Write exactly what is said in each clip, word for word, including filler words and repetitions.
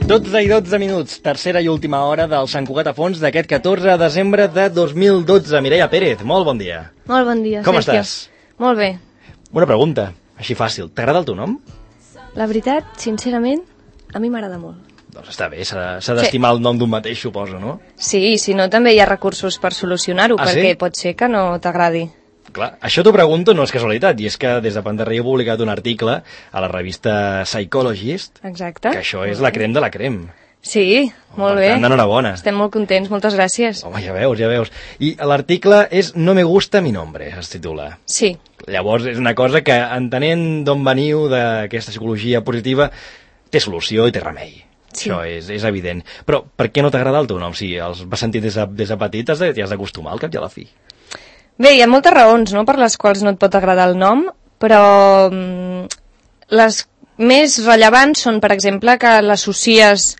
dotze i dotze minuts, tercera i última hora del Sant Cugat a fons d'aquest catorze de desembre de dos mil dotze. Mireia Pérez, molt bon dia. Molt bon dia, Com Sergio. estàs? Molt bé. Una pregunta, així fàcil. T'agrada el teu nom? La veritat, sincerament, a mi m'agrada molt. Doncs està bé, s'ha s'ha d'estimar el nom d'un mateix, suposo, no? Sí, si no també hi ha recursos per solucionar-ho, Ah, perquè sí? pot ser que no t'agradi. Clar, això t'ho pregunto, no és casualitat, i és que des de Pantarrey he publicat un article a la revista Psychologist, Exacte. que això és la crem de la crem. Sí, molt Per bé. tant, enhorabona. Estem molt contents, moltes gràcies. Home, ja veus, ja veus. I l'article és No me gusta mi nombre, es titula. Sí, Llavors, és una cosa que, entenent d'on veniu d'aquesta psicologia positiva, té solució i té remei. Sí. Això és, és evident. Però per què no t'agrada el teu nom? Si els vas sentir des de, des de petit, t'hi has de- t'hi has d'acostumar al cap i a la fi. bé, hi ha moltes raons, no?, per les quals no et pot agradar el nom, però mm, les més rellevants són, per exemple, que l'associes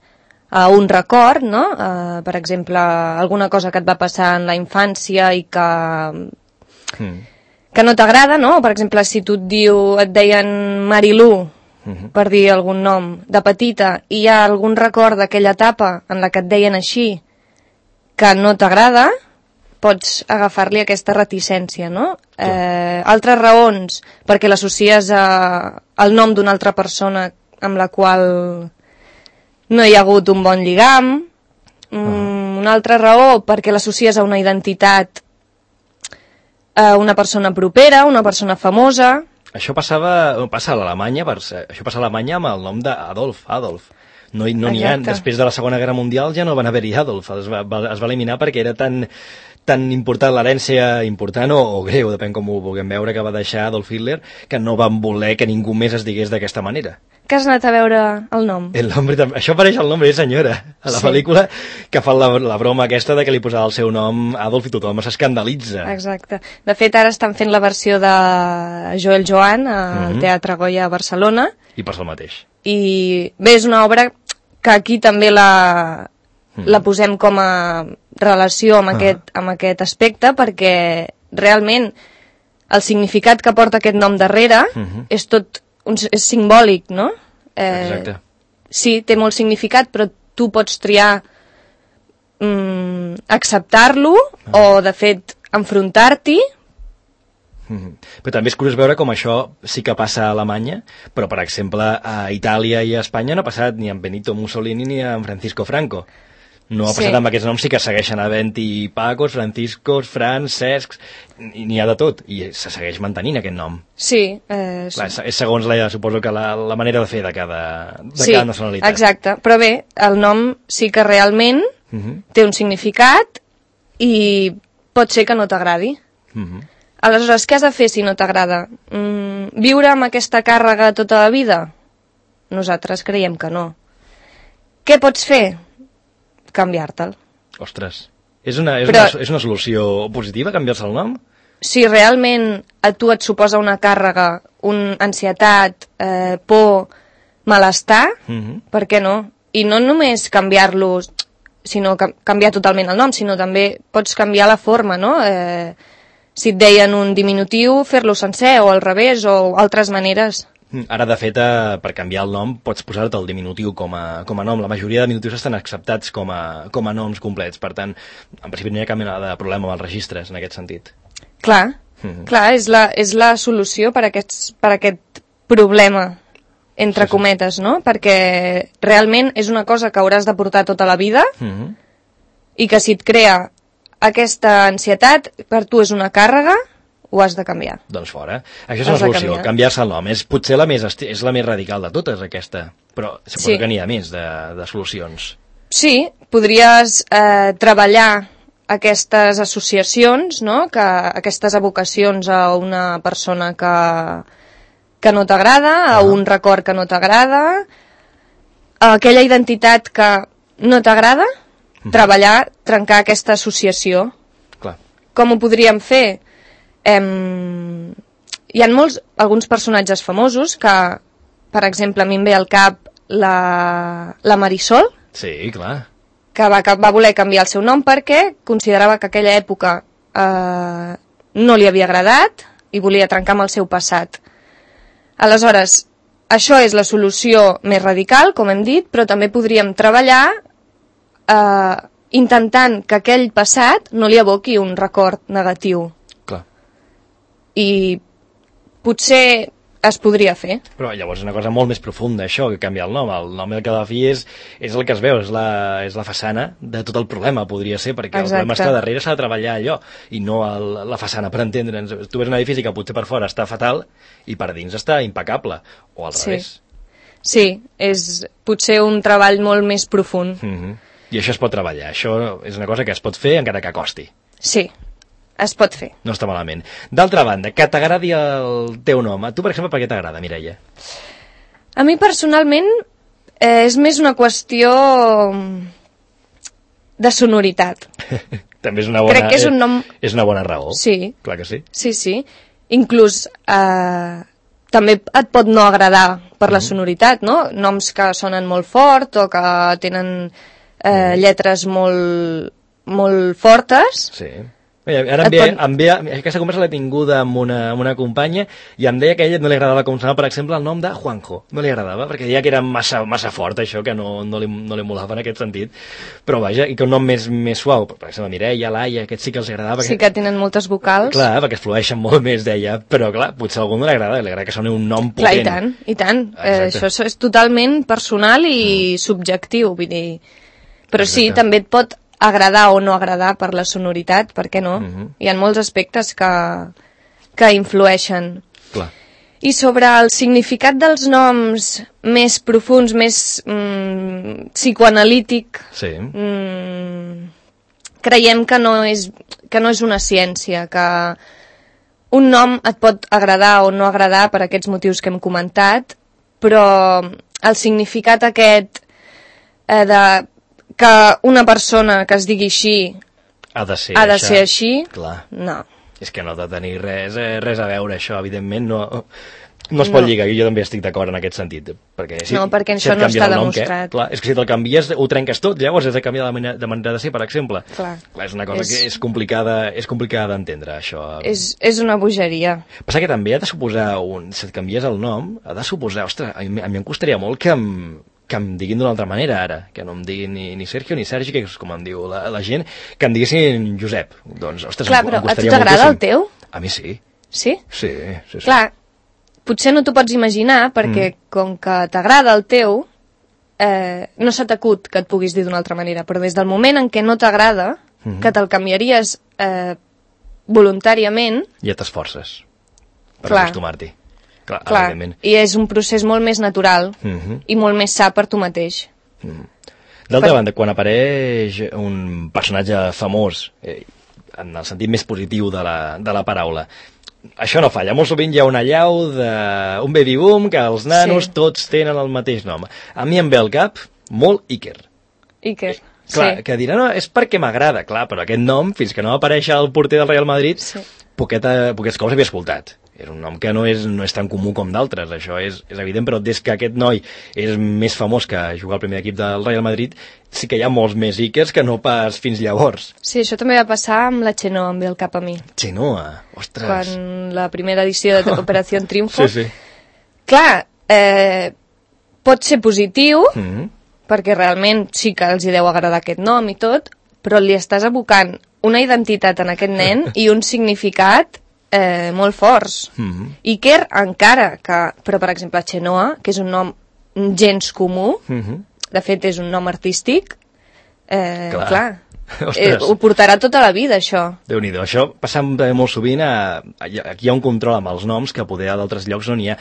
a un record, no?, uh, per exemple, alguna cosa que et va passar en la infància i que, Mm. que no t'agrada, no?, per exemple, si tu et diu, et deien Marilú, Mhm. per dir algun nom, de petita, i hi ha algun record d'aquella etapa en la que et deien així, que no t'agrada, pots agafar-li aquesta reticència, no? Eh, altres raons, perquè l'associes a, al nom d'una altra persona amb la qual no hi ha hagut un bon lligam. Mm, Ah. Una altra raó, perquè l'associes a una identitat, a una persona propera, una persona famosa. Això passava, passa a l'Alemanya, per ser- això passa a Alemanya amb el nom d'Adolf, Adolf. No, hi- no n'hi ha, Exacte. després de la Segona Guerra Mundial ja no van haver-hi Adolf, es va, va, es va eliminar perquè era tan, tan important, l'herència important o, o greu, depèn com ho vulguem veure, que va deixar Adolf Hitler, que no van voler que ningú més es digués d'aquesta manera. Que has anat a veure el nom? El nombre, tam- això apareix el nombre, senyora, a la Sí. pel·lícula, que fan la, la broma aquesta de que li posava el seu nom Adolf i tothom s'escandalitza. Exacte. De fet, ara estan fent la versió de Joel Joan al Mhm. Teatre Goya a Barcelona, I passa el mateix. i bé, és una obra que aquí també la, Mhm. la posem com a relació amb, Ah. aquest, amb aquest aspecte, perquè realment el significat que porta aquest nom darrere Mhm. és tot un, és simbòlic, no? Eh, Exacte. Sí, té molt significat, però tu pots triar mm, acceptar-lo Ah. o, de fet, enfrontar-t'hi. Mhm. Però també és curiós veure com això sí que passa a Alemanya, però, per exemple, a Itàlia i a Espanya no ha passat ni amb Benito Mussolini ni amb Francisco Franco. No ha Sí. passat amb aquests noms, sí que segueixen havent-hi Pacos, Franciscos, Frans, Cescs, i n'hi ha de tot, i se segueix mantenint aquest nom. Sí, eh, Clar, és- és segons, la, suposo que la, la manera de fer de cada, de sí, cada nacionalitat. exacte. Però bé, el nom sí que realment Mhm. té un significat i pot ser que no t'agradi. Mhm. Aleshores, què has de fer si no t'agrada? Mm, viure amb aquesta càrrega tota la vida? Nosaltres creiem que no. Què pots fer? Canviar-te'l. Ostres, és una, és, Però- una, és una solució positiva canviar-se el nom? Si realment a tu et suposa una càrrega, una ansietat, eh, por, malestar, Mhm. per què no? I no només canviar-lo, sinó ca- canviar totalment el nom, sinó també pots canviar la forma, no? Eh, si et deien un diminutiu, fer-lo sencer, o al revés, o altres maneres. Ara, de fet, eh, per canviar el nom pots posar-te el diminutiu com a, com a nom. La majoria de diminutius estan acceptats com a, com a noms complets. Per tant, en principi no hi ha cap mena de problema amb els registres, en aquest sentit. Clar, Mhm. clar, és la, és la solució per, aquests, per aquest problema, entre Sí, sí. cometes, no? Perquè realment és una cosa que hauràs de portar tota la vida Mhm. i que si et crea aquesta ansietat, per tu és una càrrega, ho has de canviar. Doncs fora. Això és Has una de solució, canviar. canviar-se el nom. És potser la més, esti- és la més radical de totes, aquesta. Però suposo Sí. que n'hi ha més de, de solucions. Sí, podries eh, treballar aquestes associacions, no? Que, aquestes evocacions a una persona que, que no t'agrada, a Ah. un record que no t'agrada, a aquella identitat que no t'agrada, treballar, trencar aquesta associació. Clar. Com ho podríem fer? Em... Hi ha molts, alguns personatges famosos que, per exemple, a mi em ve al cap la, la Marisol, Sí, clar. que va, que va voler canviar el seu nom perquè considerava que aquella època eh, no li havia agradat i volia trencar amb el seu passat. Aleshores, això és la solució més radical, com hem dit, però també podríem treballar eh, intentant que aquell passat no li evoqui un record negatiu. Clar. I potser es podria fer. Però llavors és una cosa molt més profunda, això, que canviar el nom. El nom del que a la fi és, és el que es veu, és la, és la façana de tot el problema, podria ser, perquè Exacte. el problema és que darrere s'ha de treballar allò, i no el, la façana, per entendre'ns. Tu ves un edifici que potser per fora està fatal i per dins està impecable, o al Sí. revés. Sí, és potser un treball molt més profund. Mm-hmm. I això es pot treballar, això és una cosa que es pot fer encara que costi. Sí, es pot fer. No està malament. D'altra banda, que t'agradi el teu nom. A tu, per exemple, per què t'agrada, Mireia? A mi personalment eh, és més una qüestió de sonoritat. També és una bona, Crec que és un nom... és una bona raó. Sí. Clar que sí. Sí, sí. Inclús eh, també et pot no agradar per la sonoritat, no? Noms que sonen molt fort o que tenen eh, lletres molt, molt fortes. Sí. Mira, ara em Et ve, pot- em ve, aquesta conversa l'he tinguda amb una, amb una companya i em deia que a ella no li agradava com sonava, per exemple, el nom de Juanjo. No li agradava, perquè deia que era massa, massa fort, això, que no, no, li, no li molava en aquest sentit. Però vaja, i que un nom més, més suau, per exemple, Mireia, Laia, aquests sí que els agradava. Sí que tenen moltes vocals. Clar, perquè es flueixen molt més, deia, però clar, potser a algú no li agrada, li agrada que soni un nom potent. Clar, i tant, i tant. Eh, Exacte. això és totalment personal i subjectiu, vull dir... Però sí, Exacte. també et pot agradar o no agradar per la sonoritat, per què no? Mhm. Hi ha molts aspectes que, que influeixen. Clar. I sobre el significat dels noms més profuns, més mm, psicoanalític, Sí. mm, creiem que no, és, que no és una ciència, que un nom et pot agradar o no agradar per aquests motius que hem comentat, però el significat aquest eh, de que una persona que es digui així Ha de ser, ha de això. ser així, Clar. no. És que no ha de tenir res, eh, res a veure, això, evidentment, no, no es pot No. lligar, i jo també estic d'acord en aquest sentit. Perquè si, No, perquè si això et no canvien està el nom, demostrat. Què? Clar, és que si te'l canvies ho trenques tot, llavors has de canviar de manera de, manera de ser, per exemple. Clar. Clar, és una cosa És- que és complicada, és complicada d'entendre, això. És, és una bogeria. Passa que també ha de suposar, un, si et canvies el nom, ha de suposar, ostres, a mi, a mi em costaria molt que em, que em diguin d'una altra manera ara, que no em diguin ni, ni Sergio ni Sergi, que és com em diu la, la gent, que em diguessin Josep. Doncs, ostres, Clar, em, però em a tu costaria t'agrada el moltíssim. teu? A mi sí. Sí? Sí, sí, sí. Clar, potser no t'ho pots imaginar perquè mm. com que t'agrada el teu, eh, no se t'acut que et puguis dir d'una altra manera, però des del moment en què no t'agrada, mm -hmm. que te'l canviaries eh, voluntàriament, Ja t'esforces per Clar. acostumar-t'hi. Clar, clar, evidentment. i és un procés molt més natural Mhm. i molt més sa per tu mateix. D'altra Per- banda, quan apareix un personatge famós, eh, en el sentit més positiu de la, de la paraula, això no falla. Molt sovint hi ha una allau d'un baby boom que els nanos Sí. tots tenen el mateix nom. A mi em ve al cap molt Iker. Iker, Clar, sí. que dirà, no, és perquè m'agrada, clar, però aquest nom, fins que no va aparèixer el porter del Real Madrid, Sí. poqueta, poquets cops havia escoltat. És un nom que no és, no és tan comú com d'altres, això és, és evident, però des que aquest noi és més famós que jugar al primer equip del Real Madrid, sí que hi ha molts més Ikers que no pas fins llavors. Sí, això també va passar amb la Xenoa, em ve al cap a mi. Xenoa, ostres. Quan la primera edició de Operació Triunfo. Sí, sí. Clar, eh, pot ser positiu, Mm -hmm. perquè realment sí que els hi deu agradar aquest nom i tot, però li estàs abocant una identitat en aquest nen i un significat eh, molt forts. Mm -hmm. Iker encara que... Però, per exemple, Xenoa, que és un nom gens comú, Mm -hmm. de fet és un nom artístic, eh, Clar. clar, Ostres. eh, ho portarà tota la vida, això. Déu-n'hi-do, això passa també molt sovint a, a, aquí hi ha un control amb els noms que poder a d'altres llocs no n'hi ha.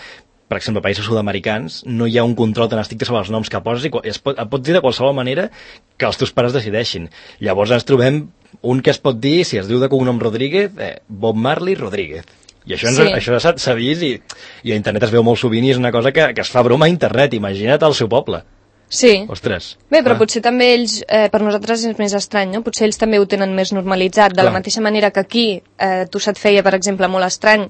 Per exemple, a països sud-americans no hi ha un control tan estricte sobre els noms que poses i es pot, et pots dir de qualsevol manera que els teus pares decideixin. Llavors ens trobem un que es pot dir, si es diu de cognom Rodríguez, eh, Bob Marley Rodríguez. I això, ens, Sí. això s'ha s'ha vist i, i a internet es veu molt sovint i és una cosa que, que es fa broma a internet, imagina't al seu poble. Sí. Ostres. Bé, però clar. potser també ells, eh, per nosaltres és més estrany, no? Potser ells també ho tenen més normalitzat, de Clar. la mateixa manera que aquí eh, tu se't feia, per exemple, molt estrany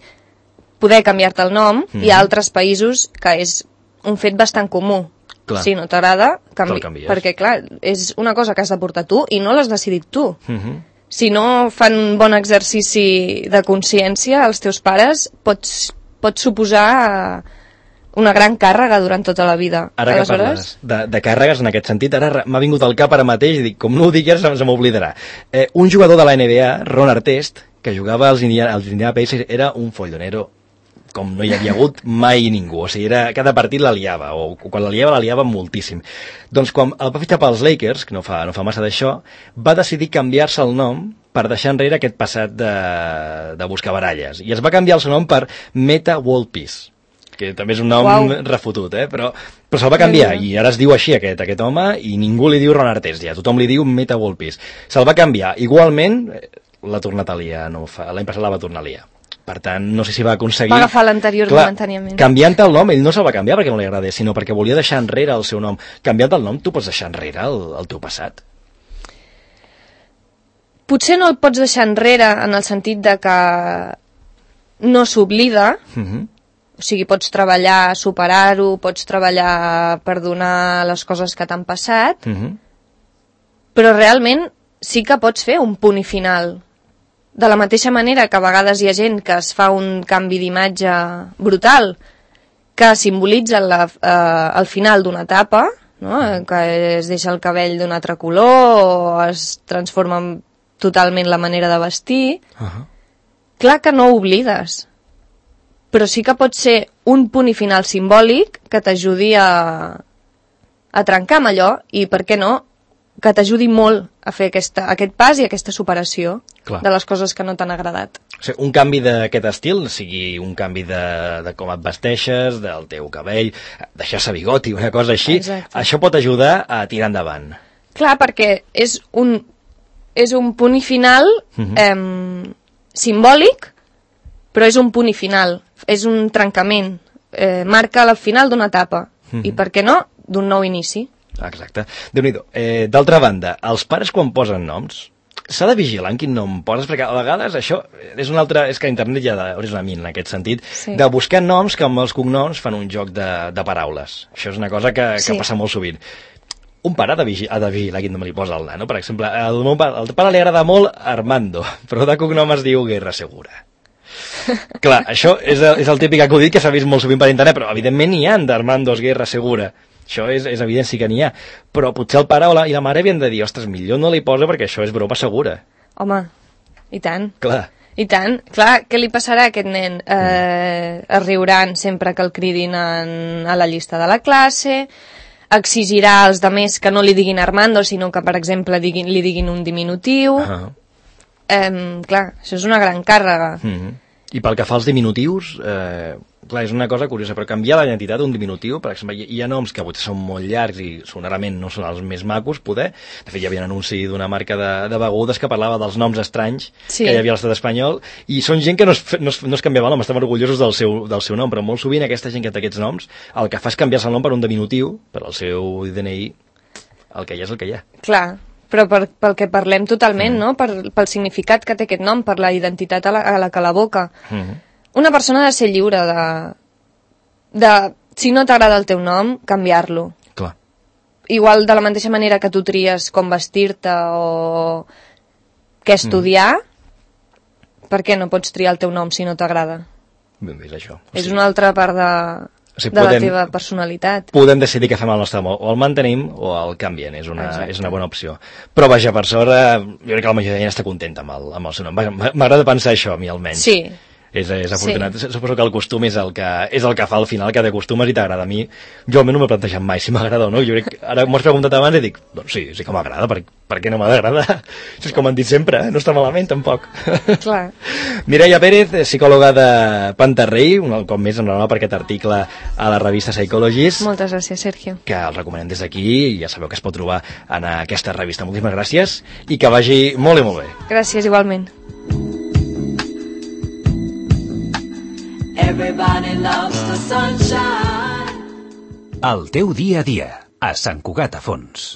poder canviar-te el nom, Mhm. i a altres països que és un fet bastant comú. Clar. Si no t'agrada, canvi... Te'l canvies. perquè clar, és una cosa que has de portar tu i no l'has decidit tu. Uh-huh. Si no fan un bon exercici de consciència, els teus pares, pots, pots suposar una gran càrrega durant tota la vida. Ara que parles de, de càrregues, en aquest sentit, ara m'ha vingut al cap ara mateix i dic, com no ho dic, ja se, se m'oblidarà. Eh, un jugador de la N B A, Ron Artest, que jugava als Indiana, als Indiana Pacers, era un follonero com no hi havia hagut mai ningú. O sigui, era, cada partit la liava, o quan la liava, la liava moltíssim. Doncs quan el va fitxar pels Lakers, que no fa, no fa massa d'això, va decidir canviar-se el nom per deixar enrere aquest passat de, de buscar baralles. I es va canviar el seu nom per Metta World Peace, que també és un nom wow. refotut, eh? però, però se'l va canviar, i ara es diu així aquest, aquest home, i ningú li diu Ron Artest, ja tothom li diu Metta World Peace. Se'l va canviar. Igualment, l'ha tornat a liar, no fa, l'any passat la va tornar a liar. Per tant, no sé si va aconseguir... Va agafar l'anterior momentàniament. Canviant el nom, ell no se'l va canviar perquè no li agradés, sinó perquè volia deixar enrere el seu nom. Canviant el nom, tu pots deixar enrere el, el teu passat. Potser no el pots deixar enrere en el sentit de que no s'oblida, Uh-huh. o sigui, pots treballar, superar-ho, pots treballar per donar les coses que t'han passat, Uh-huh. però realment sí que pots fer un punt i final. De la mateixa manera que a vegades hi ha gent que es fa un canvi d'imatge brutal, que simbolitza la, eh, el final d'una etapa, no? Que es deixa el cabell d'un altre color o es transforma totalment la manera de vestir. Uh-huh. Clar que no ho oblides, però sí que pot ser un punt i final simbòlic que t'ajudi a, a trencar amb allò i, per què no, que t'ajudi molt a fer aquesta, aquest pas i aquesta superació Clar. De les coses que no t'han agradat. O sigui, un canvi d'aquest estil, sigui un canvi de, de com et vesteixes, del teu cabell, deixar-se bigoti, una cosa així, Exacte. Això pot ajudar a tirar endavant. Clar, perquè és un, és un punt i final Mhm. eh, simbòlic, però és un punt i final, és un trencament, eh, marca el final d'una etapa, Mhm. i per què no, d'un nou inici. Exacte. Déu-n'hi-do. Eh, D'altra banda, els pares quan posen noms, s'ha de vigilar en quin nom poses, perquè a vegades això és un altre, és que internet ja és una mina en aquest sentit, Sí. de buscar noms que amb els cognoms fan un joc de, de paraules. Això és una cosa que, que Sí. passa molt sovint. Un pare ha de, vigi, ha de vigilar quin nom li posa al nano. Per exemple, al meu pare, al pare li agrada molt Armando, però de cognom es diu Guerra Segura. Clar, això és el, és el típic acudit que s'ha vist molt sovint per internet, però evidentment n'hi ha d'Armandos Guerra Segura. Això és, és evident, sí que n'hi ha. Però potser el pare o la, i la mare havien de dir, ostres, millor no li posa perquè això és broma segura. Home, i tant. Clar. I tant. Clar, què li passarà a aquest nen? Eh, es riuran sempre que el cridin en, a la llista de la classe, exigirà als demés que no li diguin Armando, sinó que, per exemple, diguin, li diguin un diminutiu. Uh-huh. Eh, clar, això és una gran càrrega. Uh-huh. I pel que fa als diminutius, eh, clar, és una cosa curiosa, però canviar la identitat d'un diminutiu, per exemple, hi, hi ha noms que potser són molt llargs i sonorament no són els més macos, poder. De fet, hi havia un anunci d'una marca de, de begudes que parlava dels noms estranys Sí. que hi havia a l'estat espanyol, i són gent que no es, no es, no es canviava el nom, estaven orgullosos del seu, del seu nom, però molt sovint aquesta gent que té aquests noms, el que fa és canviar-se el nom per un diminutiu, per al seu D N I, el que hi ha és el que hi ha. Clar, però per, pel que parlem totalment, mm. no? Per, pel significat que té aquest nom, per la identitat a la, a la que l'evoca. Uh-huh. Una persona ha de ser lliure de... de si no t'agrada el teu nom, canviar-lo. Clar. Igual de la mateixa manera que tu tries com vestir-te o què estudiar, mm. per què no pots triar el teu nom si no t'agrada? Ben vist, això. O És sigui, una altra part de, o sigui, de la podem- teva personalitat. podem decidir què fem al nostre amor, o el mantenim o el canvien, és una, Exacte. és una bona opció. Però vaja, per sort, eh, jo crec que la majoria de gent està contenta amb el, amb el seu nom. Vaja, m'agrada pensar això a mi almenys. Sí, És, és afortunat. Sí. Suposo que el costum és el que, és el que fa al final, que t'acostumes i t'agrada. A mi, jo almenys no m'he plantejat mai si m'agrada o no. Jo crec, ara m'ho has preguntat abans i dic, doncs sí, sí que m'agrada, per, per què no m'ha d'agradar? És com han dit sempre, eh? No està malament tampoc. clar. Mireia Pérez, psicòloga de Pantarrei, un cop més enhorabona per aquest article a la revista Psychologist, Moltes gràcies, Sergio. que el recomanem des d'aquí, i ja sabeu que es pot trobar en aquesta revista. Moltíssimes gràcies i que vagi molt i molt bé. Gràcies, igualment. Everybody loves the sunshine. El teu dia a dia, a Sant Cugat a Fons.